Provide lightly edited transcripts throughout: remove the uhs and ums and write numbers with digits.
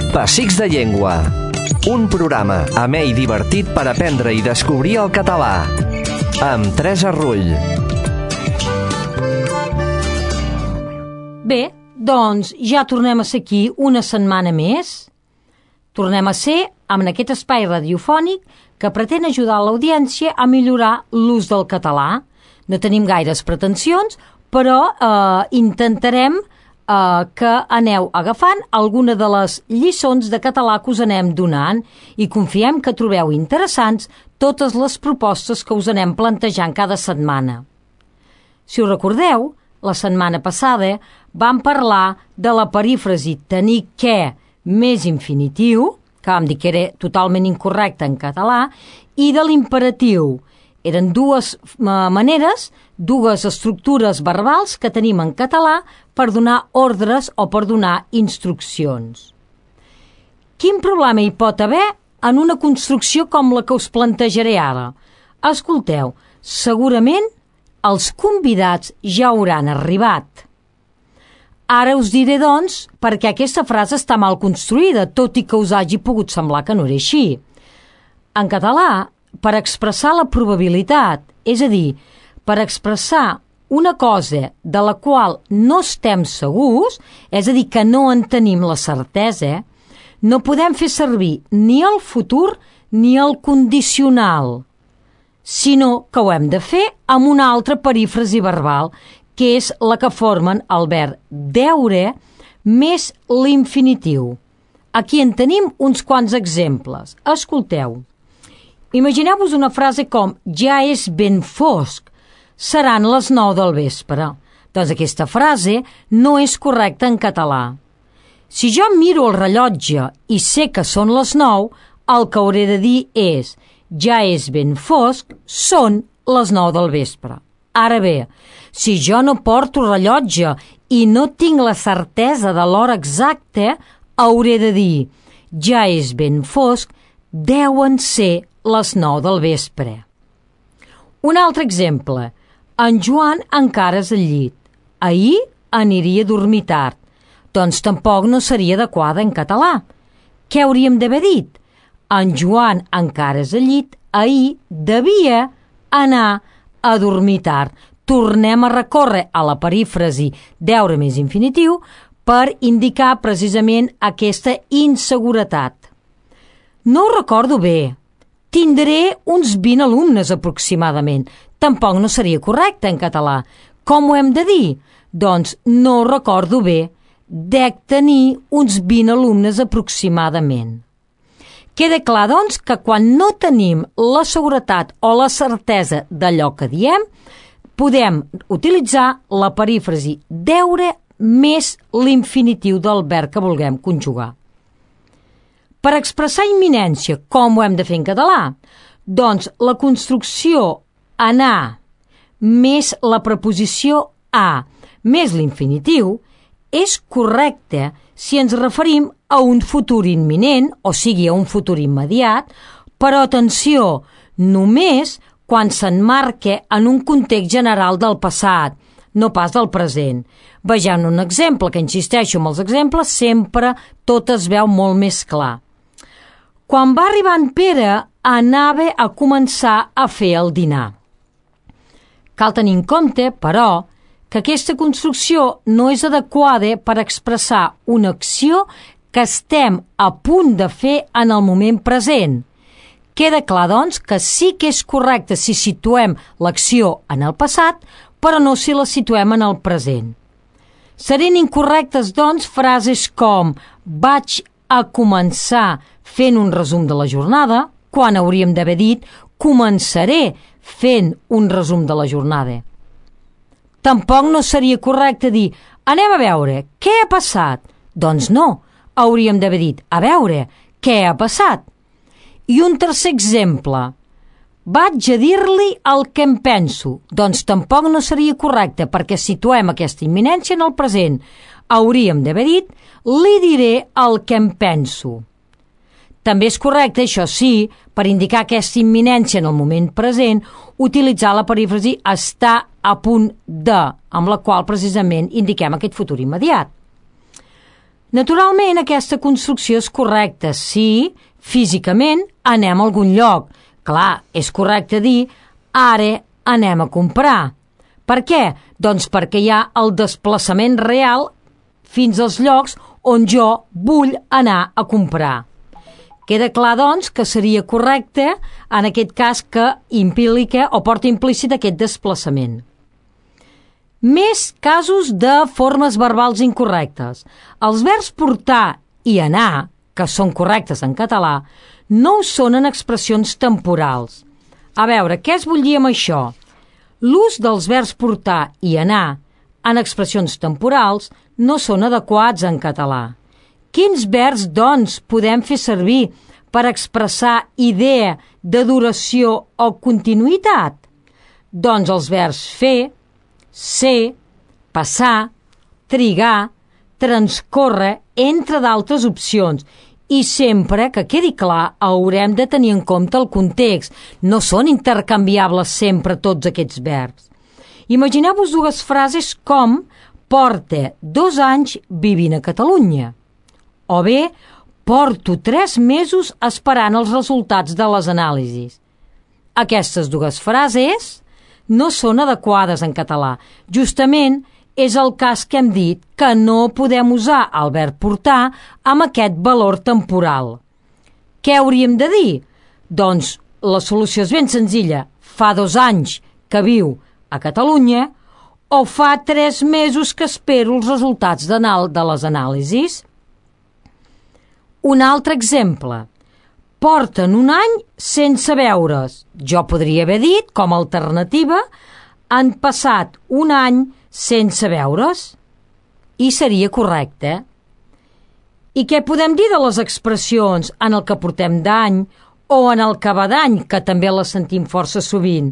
Pessics de Llengua. Un programa amè i divertit per aprendre i descobrir el català. Amb Teresa Rull. Bé, doncs ja tornem a ser aquí una setmana més. Tornem a ser amb aquest espai radiofònic que pretén ajudar l'audiència a millorar l'ús del català. No tenim gaires pretensions, però intentarem que aneu agafant alguna de les lliçons de català que us anem donant i confiem que trobeu interessants totes les propostes que us anem plantejant cada setmana. Si us recordeu, la setmana passada vam parlar de la perífrasi tenir que més infinitiu, que vam dir que era totalment incorrecte en català, i de l'imperatiu. Eren dues maneres, dues estructures verbals que tenim en català per donar ordres o per donar instruccions. Quin problema hi pot haver en una construcció com la que us plantejaré ara? Escolteu, segurament els convidats ja hauran arribat. Ara us diré, doncs, perquè aquesta frase està mal construïda, tot i que us hagi pogut semblar que no era així. En català, per expressar la probabilitat, és a dir, per expressar una cosa de la qual no estem segurs, és a dir, que no en tenim la certesa, no podem fer servir ni el futur ni el condicional, sinó que ho hem de fer amb una altra perífrasi verbal, que és la que formen el verb deure més l'infinitiu. Aquí en tenim uns quants exemples. Escolteu. Imagineu-vos una frase com ja és ben fosc, seran les 9 del vespre. Doncs aquesta frase no és correcta en català. Si jo miro el rellotge i sé que són les 9, el que hauré de dir és ja és ben fosc, són les 9 del vespre. Ara bé, si jo no porto rellotge i no tinc la certesa de l'hora exacta, hauré de dir ja és ben fosc, deuen ser les 9 del vespre. Un altre exemple. En Joan encara és al llit. Ahir aniria a dormir tard. Doncs tampoc no seria adequada en català. Què hauríem d'haver dit? En Joan encara és al llit. Ahir devia anar a dormir tard. Tornem a recórrer a la perífrasi deure més infinitiu per indicar precisament aquesta inseguretat. No ho recordo bé. Tindré uns 20 alumnes aproximadament. Tampoc no seria correcte en català. Com ho hem de dir? Doncs no ho recordo bé. Dec tenir uns 20 alumnes aproximadament. Queda clar, doncs, que quan no tenim la seguretat o la certesa d'allò que diem, podem utilitzar la perífrasi deure més l'infinitiu del verb que vulguem conjugar. Per expressar imminència, com ho hem de fer en català? Doncs la construcció anar més la preposició a més l'infinitiu és correcta si ens referim a un futur imminent, o sigui, a un futur immediat, però atenció, només quan s'emmarca en un context general del passat, no pas del present. Vegem un exemple, que insisteixo amb els exemples, sempre tot es veu molt més clar. Quan va arribar en Pere, anava a començar a fer el dinar. Cal tenir en compte, però, que aquesta construcció no és adequada per expressar una acció que estem a punt de fer en el moment present. Queda clar, doncs, que sí que és correcte si situem l'acció en el passat, però no si la situem en el present. Serien incorrectes, doncs, frases com vaig a començar fent un resum de la jornada, quan hauríem d'haver dit començaré fent un resum de la jornada. Tampoc no seria correcte dir anem a veure, què ha passat? Doncs no, hauríem d'haver dit a veure, què ha passat? I un tercer exemple, vaig a dir-li el que em penso. Doncs tampoc no seria correcte perquè situem aquesta imminència en el present. Hauríem d'haver dit li diré el que em penso. També és correcte, això sí, per indicar aquesta imminència en el moment present, utilitzar la perífrasi està a punt de, amb la qual precisament indiquem aquest futur immediat. Naturalment, aquesta construcció és correcta si físicament anem a algun lloc. Clar, és correcte dir ara anem a comprar. Per què? Doncs perquè hi ha el desplaçament real fins als llocs on jo vull anar a comprar. Queda clar, doncs, que seria correcte en aquest cas que implica o porta implícit aquest desplaçament. Més casos de formes verbals incorrectes. Els verbs portar i anar, que són correctes en català, no ho són en expressions temporals. A veure, què es vull dir amb això? L'ús dels verbs portar i anar en expressions temporals no són adequats en català. Quins verbs, doncs, podem fer servir per expressar idea de duració o continuïtat? Doncs els verbs fer, ser, passar, trigar, transcórrer, entre d'altres opcions. I sempre, que quedi clar, haurem de tenir en compte el context. No són intercanviables sempre tots aquests verbs. Imagineu-vos dues frases com porta 2 anys vivint a Catalunya. O bé, porto 3 mesos esperant els resultats de les anàlisis. Aquestes dues frases no són adequades en català. Justament és el cas que hem dit que no podem usar el verb portar amb aquest valor temporal. Què hauríem de dir? Doncs la solució és ben senzilla. Fa 2 anys que viu a Catalunya o fa 3 mesos que espero els resultats de les anàlisis. Un altre exemple. Porten 1 any sense veure's. Jo podria haver dit, com a alternativa, han passat 1 any sense veure's. I seria correcte. I què podem dir de les expressions en el que portem d'any o en el que va d'any, que també les sentim força sovint?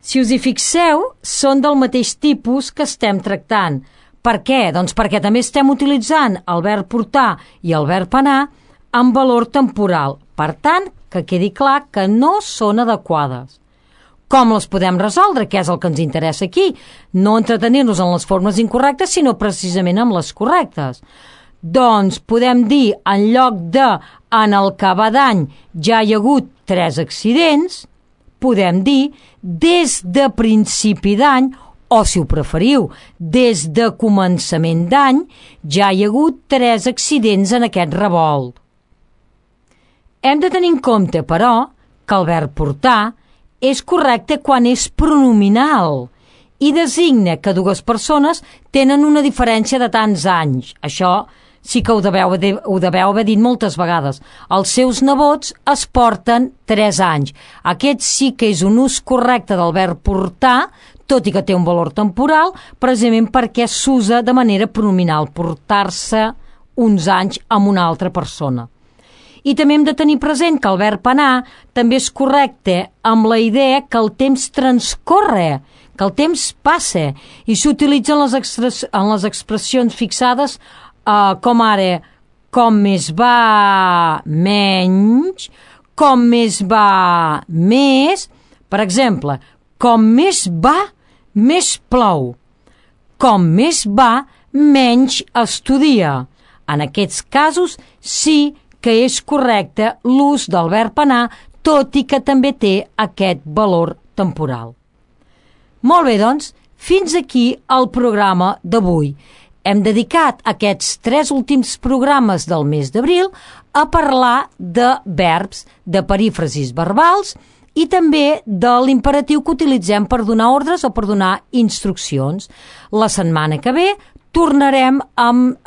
Si us hi fixeu, són del mateix tipus que estem tractant. Per què? Doncs perquè també estem utilitzant el verb portar i el verb anar amb valor temporal. Per tant, que quedi clar que no són adequades. Com les podem resoldre? Què és el que ens interessa aquí? No entretenir-nos en les formes incorrectes, sinó precisament amb les correctes. Doncs podem dir, en lloc de en el que va d'any ja hi ha hagut 3 accidents, podem dir des de principi d'any, o si ho preferiu, des de començament d'any ja hi ha hagut 3 accidents en aquest revolt. Hem de tenir en compte, però, que el verb portar és correcte quan és pronominal i designa que 2 persones tenen una diferència de tants anys. Això sí que ho deveu haver dit moltes vegades. Els seus nebots es porten 3 anys. Aquest sí que és un ús correcte del verb portar, tot i que té un valor temporal, precisament perquè s'usa de manera pronominal, portar-se uns anys amb una altra persona. I també hem de tenir present que el verb anar també és correcte amb la idea que el temps transcorre, que el temps passa, i s'utilitza en les expressions fixades com ara com més va menys, com més va més. Per exemple, com més va, més plou. Com més va, menys estudia. En aquests casos sí que és correcte l'ús del verb anar, tot i que també té aquest valor temporal. Molt bé, doncs, fins aquí el programa d'avui. Hem dedicat aquests 3 últims programes del mes d'abril a parlar de verbs, de perífrasis verbals i també de l'imperatiu que utilitzem per donar ordres o per donar instruccions. La setmana que ve tornarem amb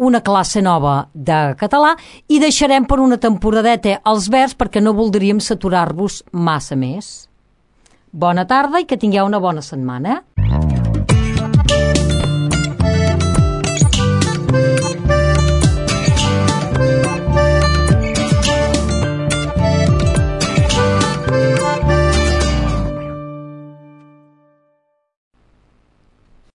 una classe nova de català i deixarem per una temporadeta els verbs perquè no voldríem saturar-vos massa més. Bona tarda i que tingueu una bona setmana.